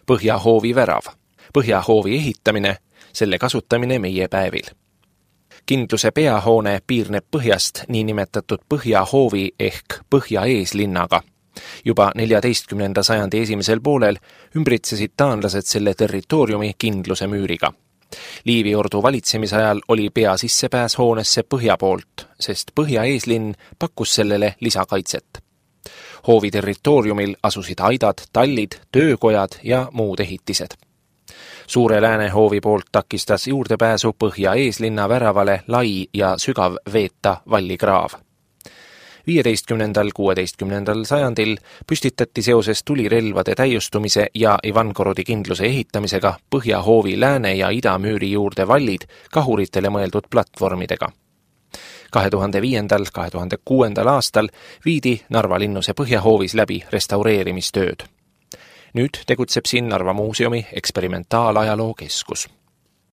Põhjahoovi värav, Põhjahoovi ehitamine, selle kasutamine meie päevil. Kindluse peahoone piirneb põhjast niinimetatud Põhjahoovi ehk Põhja-eeslinnaga. Juba 14. sajandi esimesel poolel ümbritsesid taanlased selle territooriumi Kindluse müüriga. Liiviordu valitsemisajal oli pea sissepääs hoonesse põhja poolt, sest Põhja-eeslinn pakkus sellele lisakaitset. Hoovi territooriumil asusid aidad, tallid, töökojad ja muud ehitised. Suure Läänehoovi poolt takistas juurdepääsu Põhja-eeslinna väravale lai ja sügav veeta vallikraav. 15.–16. sajandil püstitati seoses tulirelvade täiustumise ja Ivangorodi kindluse ehitamisega Põhjahoovi lääne- ja idamüüri juurde vallid kahuritele mõeldud platvormidega. 2005.–2006. aastal viidi Narva linnuse Põhjahoovis läbi restaureerimistööd. Nüüd tegutseb siin Narva muuseumi eksperimentaalajaloo keskus.